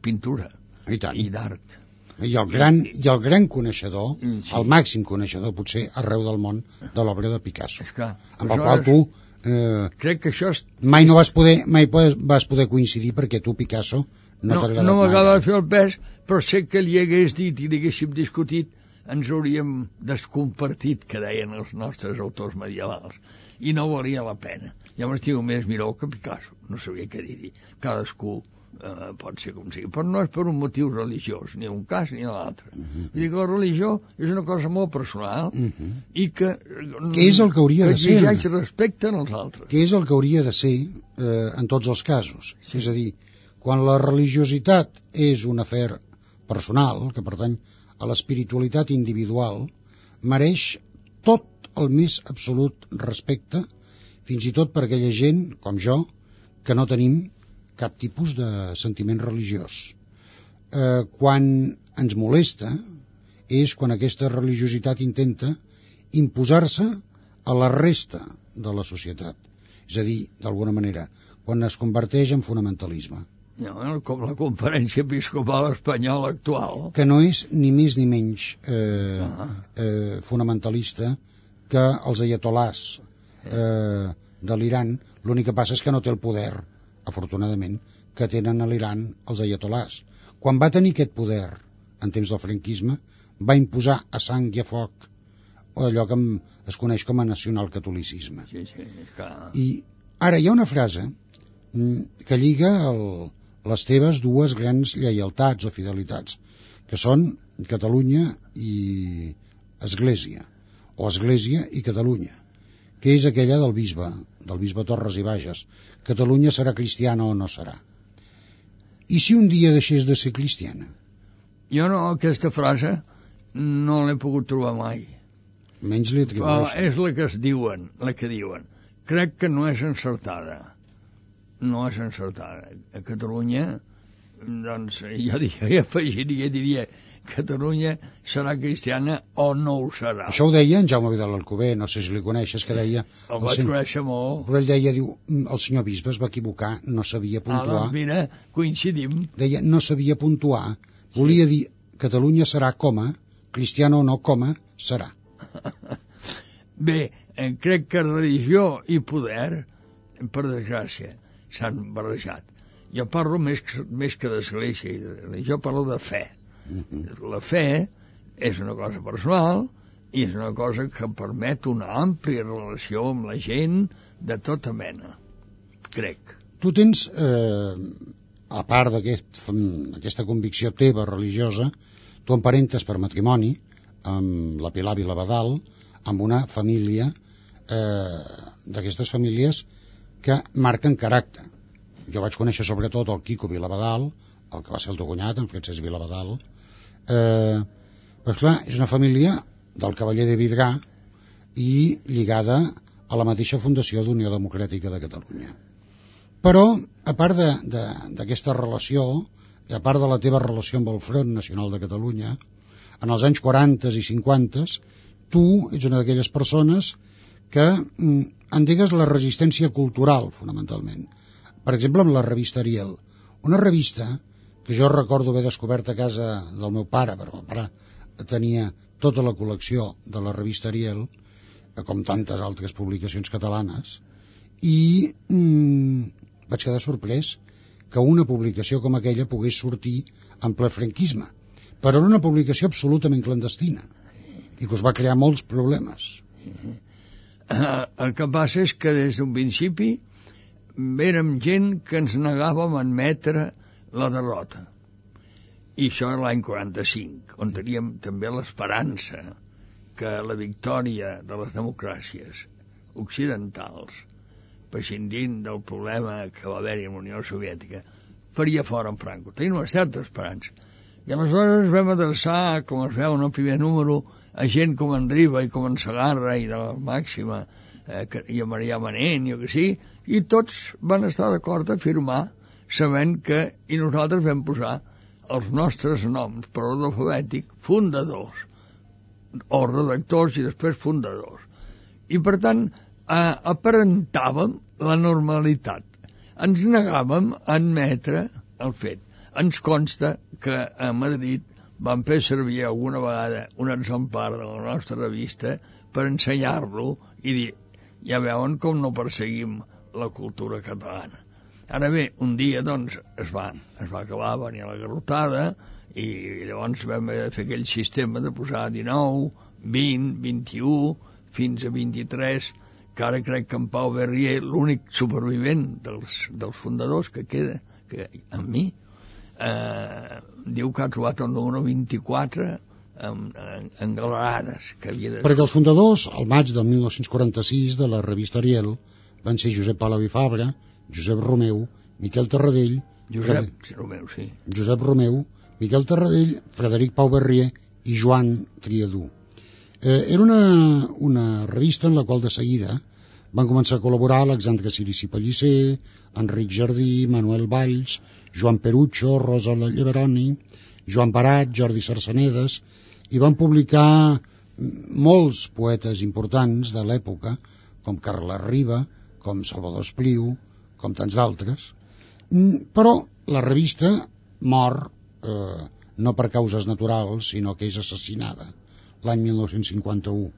pintura i, i d'art. I el gran, i el gran coneixedor, sí. el màxim coneixedor, potser arreu del món, de l'obra de Picasso. Esclar, amb el qual tu eh, crec que això és... mai no vas poder, mai vas poder coincidir, perquè tu, Picasso, no, no t'ha agradat no mai. No m'agrada fer el pes, però sé que li hagués dit i li haguéssim discutit, ens hauríem descompartit, que deien els nostres autors medievals, i no valia la pena. Jo m'estigo més Miró que Picasso, no sabia què dir-hi. Cadascú eh, pot ser com sigui, però no és per un motiu religiós, ni un cas ni l'altre. Uh -huh. Vull dir que la religió és una cosa molt personal uh -huh. i que... Què és el que hauria que de ser? exigeix respecte en els altres. Què és el que hauria de ser eh, en tots els casos? Sí. És a dir, quan la religiositat és un afer personal, que pertany a l'espiritualitat individual, mereix tot el més absolut respecte, fins i tot per aquella gent, com jo, que no tenim cap tipus de sentiment religiós. Eh, quan ens molesta és quan aquesta religiositat intenta imposar-se a la resta de la societat. És a dir, d'alguna manera, quan es converteix en fonamentalisme. No, com la conferència episcopal espanyola actual. Que no és ni més ni menys eh, ah. eh, fonamentalista que els ayatolàs eh, de l'Iran. L'únic que passa és que no té el poder, afortunadament, que tenen a l'Iran els ayatolàs. Quan va tenir aquest poder en temps del franquisme, va imposar a sang i a foc allò que es coneix com a nacionalcatolicisme. Sí, sí, clar. I ara hi ha una frase que lliga el, les teves dues grans lleialtats o fidelitats, que són Catalunya i Església, o Església i Catalunya, que és aquella del bisbe, del bisbe Torres i Bages. Catalunya serà cristiana o no serà? I si un dia deixés de ser cristiana? Jo no, aquesta frase no l'he pogut trobar mai. Menys li atribueixen. És la que es diuen, la que diuen. Crec que no és encertada. No és encertada. A Catalunya, doncs, jo, diria, jo afegiria, diria, Catalunya serà cristiana o no ho serà. Això ho deia en Jaume Vidal Alcover, no sé si li coneixes, que deia... El, el vaig sen... conèixer molt. Però ell deia, diu, el senyor bisbe es va equivocar, no sabia puntuar. Ah, doncs mira, coincidim. Deia, no sabia puntuar, volia sí. dir, Catalunya serà coma, cristiana o no coma, serà. Bé, eh, crec que religió i poder, per desgràcia, s'han barrejat. Jo parlo més, més que d'església i de religió, parlo de fe. Uh-huh. La fe és una cosa personal i és una cosa que permet una àmplia relació amb la gent de tota mena, crec. Tu tens, eh, a part d'aquesta aquest, convicció teva religiosa, tu emparentes per matrimoni amb la Pilar Vilabadal, amb una família eh, d'aquestes famílies que marquen caràcter. Jo vaig conèixer sobretot el Quico Vilabadal, el que va ser el teu cunyat, en Francesc Vilabadal. Eh, doncs clar, és una família del cavaller de Vidrà i lligada a la mateixa fundació d'Unió Democràtica de Catalunya. Però, a part d'aquesta relació, i a part de la teva relació amb el Front Nacional de Catalunya, en els anys quaranta i cinquanta, tu ets una d'aquelles persones que mm, endegues la resistència cultural, fonamentalment. Per exemple, amb la revista Ariel, una revista que jo recordo haver descobert a casa del meu pare, perquè el pare tenia tota la col·lecció de la revista Ariel, com tantes altres publicacions catalanes, i mm, vaig quedar sorprès que una publicació com aquella pogués sortir en ple franquisme, però era una publicació absolutament clandestina i que us va crear molts problemes. El que passa és que des d'un principi érem gent que ens negàvem a admetre la derrota. I això era l'any quaranta-cinc, on teníem també l'esperança que la victòria de les democràcies occidentals, prescindint del problema que va haver-hi amb la Unió Soviètica, faria fora en Franco. Tenim una certa esperança. I aleshores vam adreçar, com es veu en el primer número, a gent com en Riba i com en Segarra i de la Màxima, eh, que, i a Marià Manent, jo que sí, i tots van estar d'acord a firmar, sabent que, i nosaltres vam posar els nostres noms per ordre alfabètic, fundadors, o redactors i després fundadors. I per tant, eh, aparentàvem la normalitat. Ens negàvem a admetre el fet. Ens consta que a Madrid van fer servir alguna vegada un exemplar de la nostra revista per ensenyar-lo i dir, ja veuen com no perseguim la cultura catalana. Ara bé, un dia, doncs, es va, es va acabar, va venir la garrotada, i llavors vam fer aquell sistema de posar dinou, vint, vint-i-u, fins a vint-i-tres, que ara crec que en Pau Berrier, l'únic supervivent dels, dels fundadors que queda, que amb mi, eh, diu que ha trobat el número vint-i-quatre en, en, en galerades. Que havia de... Perquè els fundadors, al maig del mil nou-cents quaranta-sis, de la revista Ariel, van ser Josep Palau i Fabra, Josep Romeu, Miquel Tarradell... Josep Frede... Romeu, sí. Josep Romeu, Miquel Tarradell, Frederic Pau Berrier i Joan Triadú. Eh, era una, una revista en la qual de seguida van començar a col·laborar Alexandre Cirici Pellicer, Enric Jardí, Manuel Valls, Joan Perucho, Rosa Lleveroni, Joan Barat, Jordi Sarsenedes, i van publicar molts poetes importants de l'època, com Carles Riba, com Salvador Espriu, com tants d'altres. Però la revista mor eh, no per causes naturals, sinó que és assassinada l'any mil nou-cents cinquanta-u.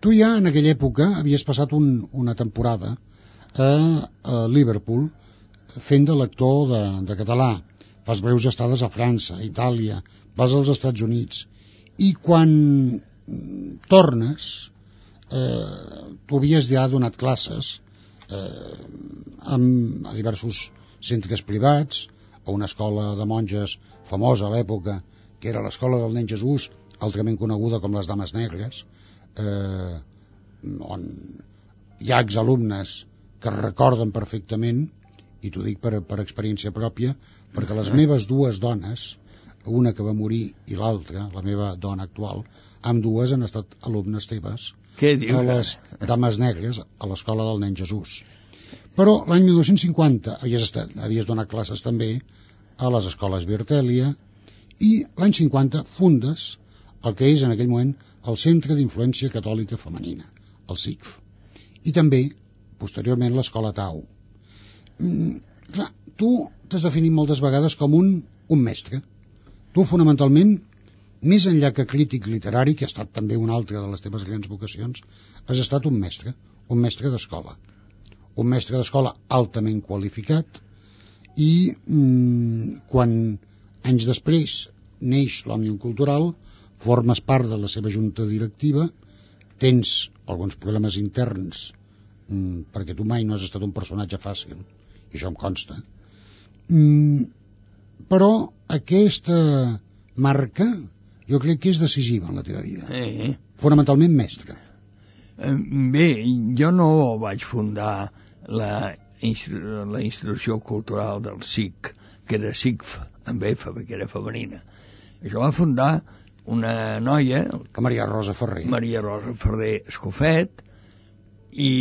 Tu ja en aquella època havies passat un, una temporada a, a Liverpool fent de lector de, de català. Fas breus estades a França, a Itàlia, vas als Estats Units, i quan tornes eh, tu havies ja donat classes eh, amb, a diversos centres privats, a una escola de monges famosa a l'època, que era l'escola del nen Jesús, altrament coneguda com les Dames Negres, eh, on hi ha exalumnes que recorden perfectament, i t'ho dic per, per experiència pròpia, perquè les meves dues dones, una que va morir i l'altra, la meva dona actual, amb dues han estat alumnes teves a les Dames Negres a l'escola del nen Jesús. Però l'any mil nou-cents cinquanta havies, estat, havies donat classes també a les escoles Virtèlia, i l'any cinquanta fundes el que és en aquell moment el Centre d'Influència Catòlica Femenina, el C I C F, i també, posteriorment, l'Escola Tau. Mm, clar, tu t'has definit moltes vegades com un, un mestre. Tu, fonamentalment, més enllà que crític literari, que ha estat també una altra de les teves grans vocacions, has estat un mestre, un mestre d'escola. Un mestre d'escola altament qualificat, i mm, quan anys després neix l'Òmnium Cultural, formes part de la seva junta directiva, tens alguns problemes interns, mm, perquè tu mai no has estat un personatge fàcil, i això em consta, mm, però aquesta marca jo crec que és decisiva en la teva vida. Eh. Fonamentalment mestre. Bé, jo no vaig fundar la, la institució cultural del C I C, que era C I C F, amb F, perquè era femenina. Això va fundar una noia, Maria Rosa Ferrer, Maria Rosa Ferrer Escofet, i,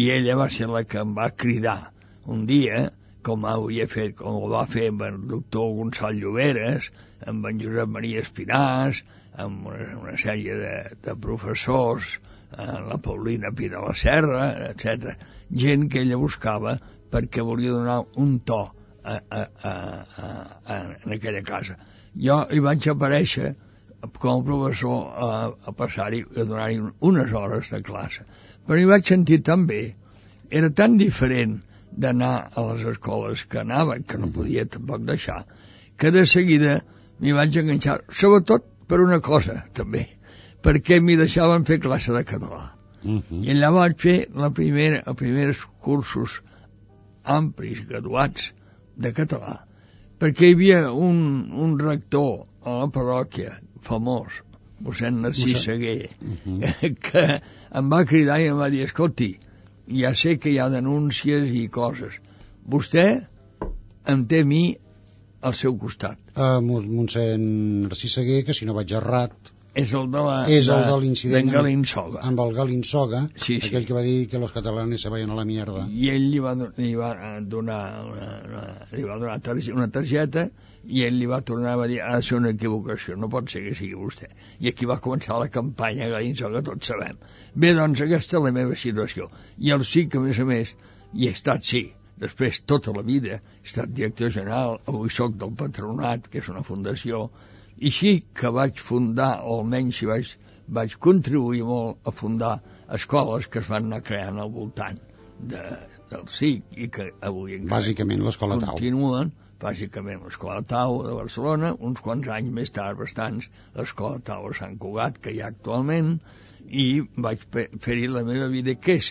i ella va ser la que em va cridar un dia, com havia fet, com ho va fer amb el doctor Gonçal Lloberes, amb en Josep Maria Espinàs, amb una, una sèrie de, de professors, eh, la Paulina Pi de la Serra, etcètera. Gent que ella buscava perquè volia donar un to a, a, a, a, a, en aquella casa. Jo hi vaig aparèixer com a professor a, a passar-hi, a donar-hi unes hores de classe. Però hi vaig sentir tan bé, era tan diferent d'anar a les escoles que anava, que no podia tampoc deixar, que de seguida m'hi vaig enganxar, sobretot per una cosa, també, perquè m'hi deixaven fer classe de català. Uh-huh. I allà vaig fer la primera, els primers cursos amplis, graduats, de català, perquè hi havia un, un rector a la parròquia famós, mossèn Narcís Seguer, uh-huh. que em va cridar i em va dir, escolti, ja sé que hi ha denúncies i coses, vostè em té a mi al seu costat. Uh, mossèn Narcís Seguer, que si no vaig errat, és el de la, és el de l'incident amb Galinsoga. Amb el Galinsoga, sí, sí. Aquell que va dir que los catalanes se vayan a la mierda. I ell li va, li va donar una, una, li va donar targeta, una targeta i ell li va tornar a dir ha de ser una equivocació, no pot ser que sigui vostè. I aquí va començar la campanya Galinsoga, tots sabem. Bé, doncs aquesta és la meva situació. I el sí que, a més a més, hi he estat, sí, després tota la vida he estat director general, avui soc del Patronat, que és una fundació, i sí que vaig fundar, o almenys si vaig, vaig contribuir molt a fundar escoles que es van anar creant al voltant de, del S I C i que avui encara bàsicament l'Escola Tau. Continuen, bàsicament l'Escola Tau de Barcelona, uns quants anys més tard, bastants, l'Escola Tau a Sant Cugat, que hi ha actualment, i vaig fer-hi la meva vida, que és,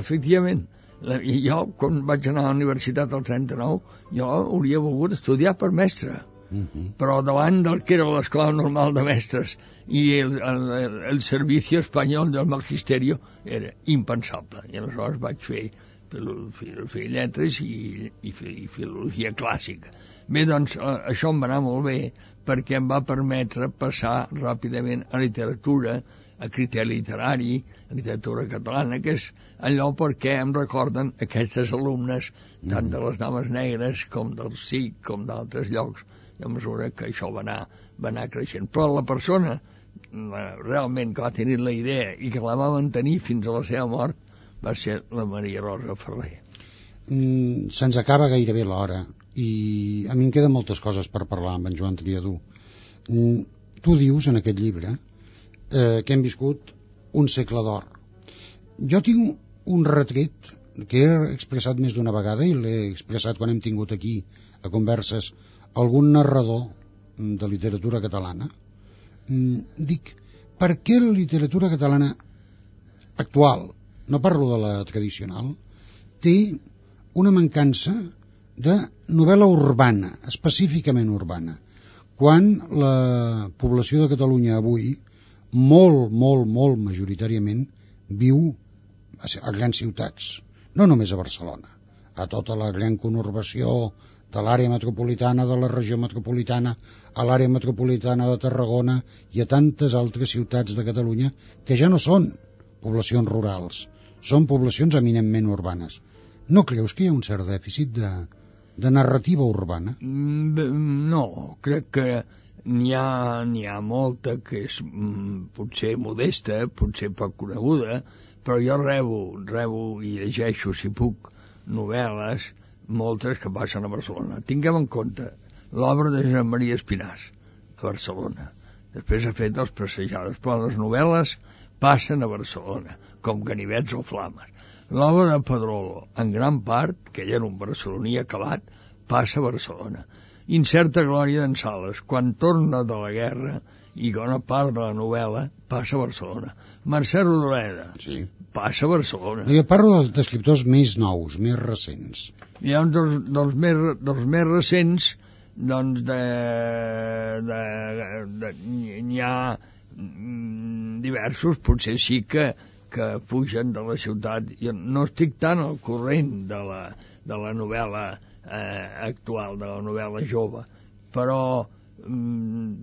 efectivament, la, jo, quan vaig anar a la universitat al trenta-nou, jo hauria volgut estudiar per mestre. Uh-huh. Però davant del que era l'escola normal de mestres i el, el, el servicio espanyol del magisterio era impensable, i aleshores vaig fer filosofia i lletres i, i, i filologia clàssica. Bé, doncs això em va anar molt bé perquè em va permetre passar ràpidament a literatura, a criteri literari, a literatura catalana, que és allò perquè em recorden aquestes alumnes tant de les Dames Negres com del S I C com d'altres llocs, a mesura que això va anar, va anar creixent. Però la persona la, realment que va tenir la idea i que la va mantenir fins a la seva mort va ser la Maria Rosa Ferrer. Mm, se'ns acaba gairebé l'hora i a mi em queden moltes coses per parlar amb en Joan Triadú. Mm, tu dius en aquest llibre eh, que hem viscut un segle d'or. Jo tinc un retret que he expressat més d'una vegada i l'he expressat quan hem tingut aquí a converses algun narrador de literatura catalana. Dic, per què la literatura catalana actual, no parlo de la tradicional, té una mancança de novel·la urbana, específicament urbana, quan la població de Catalunya avui, molt, molt, molt majoritàriament, viu a grans ciutats, no només a Barcelona, a tota la gran conurbació de l'àrea metropolitana, de la regió metropolitana, a l'àrea metropolitana de Tarragona i a tantes altres ciutats de Catalunya que ja no són poblacions rurals, són poblacions eminentment urbanes. No creus que hi ha un cert dèficit de, de narrativa urbana? No, crec que n'hi ha, n'hi ha molta que és potser modesta, potser poc coneguda, però jo rebo, rebo i llegeixo, si puc, novel·les, moltes que passen a Barcelona. Tinguem en compte l'obra de Josep Maria Espinàs a Barcelona. Després ha fet els Passejades, però les novel·les passen a Barcelona, com Ganivets o Flames. L'obra de Pedrolo, en gran part, que ell era un barceloní acabat, passa a Barcelona. Incerta glòria d'en Sales, quan torna de la guerra i bona part de la novel·la passa a Barcelona. Mercè Rodoreda, sí, passa a Barcelona. Jo parlo d'escriptors més nous, més recents. Hi ha uns dels, dels, més, dels més recents, doncs de, de, de, n'hi ha diversos, potser sí que, que fugen de la ciutat. Jo no estic tan al corrent de la, de la novel·la eh, actual, de la novel·la jove, però mm,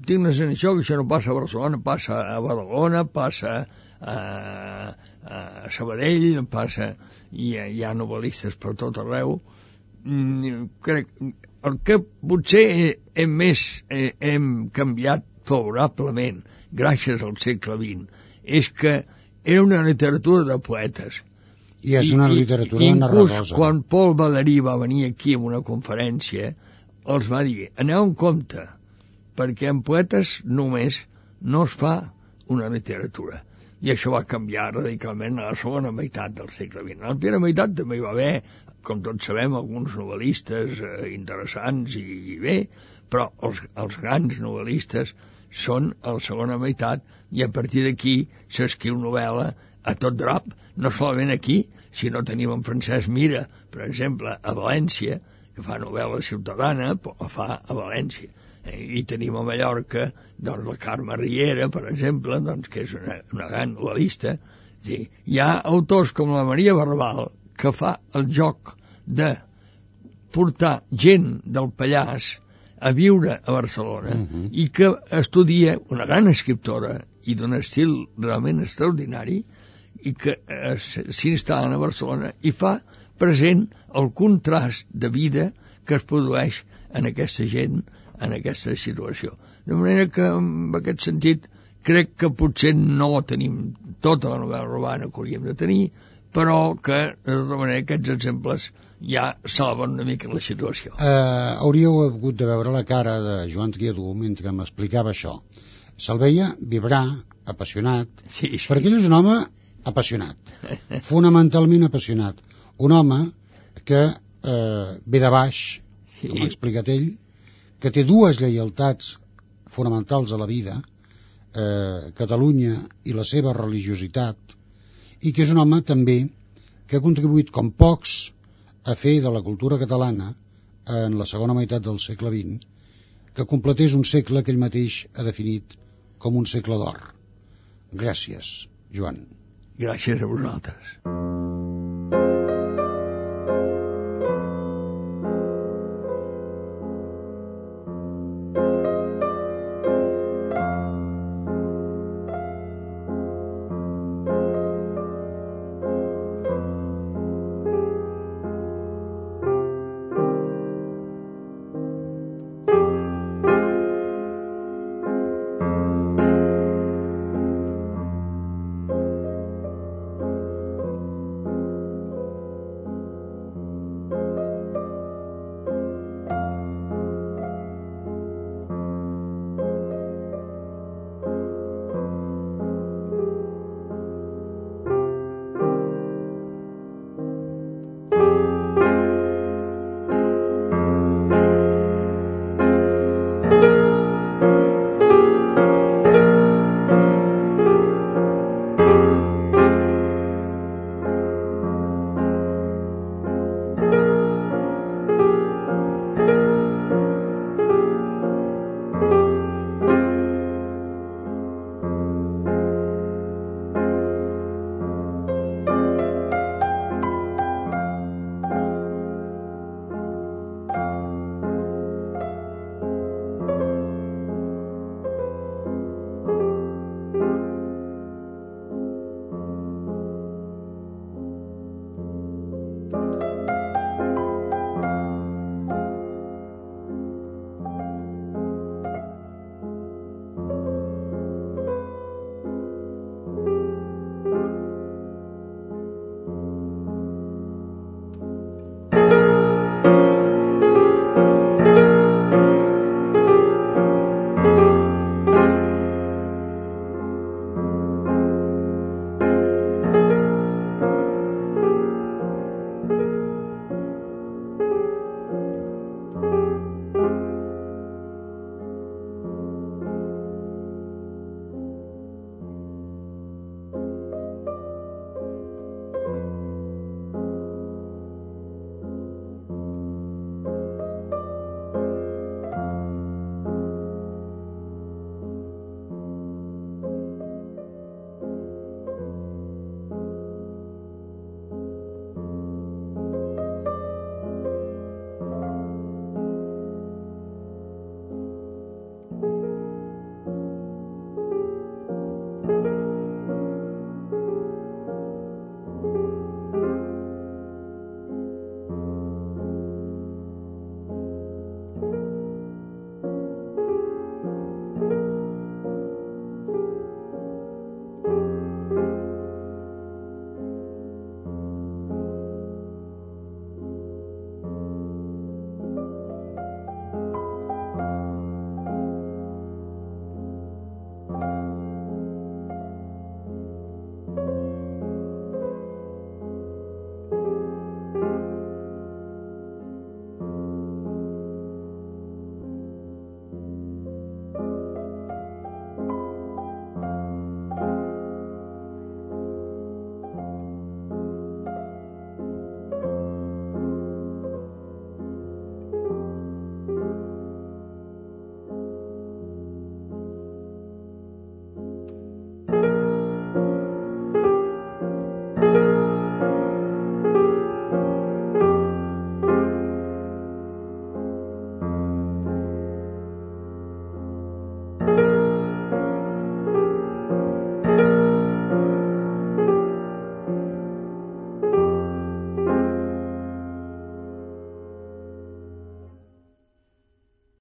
tinc la sensació que això no passa a Barcelona, passa a Badalona, passa a, a Sabadell, passa, i hi, hi ha novel·listes per tot arreu. Mm, crec, el que potser hem, més, eh, hem canviat favorablement gràcies al segle vint és que era una literatura de poetes. I és una literatura I, narradosa. Inclús quan Paul Badarí va venir aquí a una conferència, els va dir, aneu en compte, perquè en poetes només no es fa una literatura. I això va canviar radicalment a la segona meitat del segle vint. A la primera meitat també hi va haver, com tots sabem, alguns novel·listes eh, interessants i, i bé, però els, els grans novel·listes són a la segona meitat i a partir d'aquí s'escriu novel·la a tot drap, no solament aquí, sinó tenim en Francesc Mira, per exemple, a València, que fa novel·la ciutadana, però la fa a València. I tenim a Mallorca doncs la Carme Riera, per exemple, doncs, que és una, una gran novel·lista. Sí. Hi ha autors com la Maria Barbal que fa el joc de portar gent del Pallars a viure a Barcelona Uh-huh. i que estudia una gran escriptora i d'un estil realment extraordinari i que eh, s'instal·la a Barcelona i fa present el contrast de vida que es produeix en aquesta gent, en aquesta situació. De manera que, en aquest sentit, crec que potser no tenim tota la novel·la urbana que hauríem de tenir, però que, de tota manera, aquests exemples ja salven una mica la situació. Uh, hauríeu hagut de veure la cara de Joan Triadú mentre m'explicava això. Se'l veia vibrar, apassionat, Sí, sí. perquè ell és un home apassionat, fonamentalment apassionat. Un home que eh, ve de baix, Sí. com ha explicat ell, que té dues lleialtats fonamentals a la vida, eh, Catalunya i la seva religiositat, i que és un home també que ha contribuït com pocs a fer de la cultura catalana en la segona meitat del segle vint, que completés un segle que ell mateix ha definit com un segle d'or. Gràcies, Joan. Gràcies a vosaltres.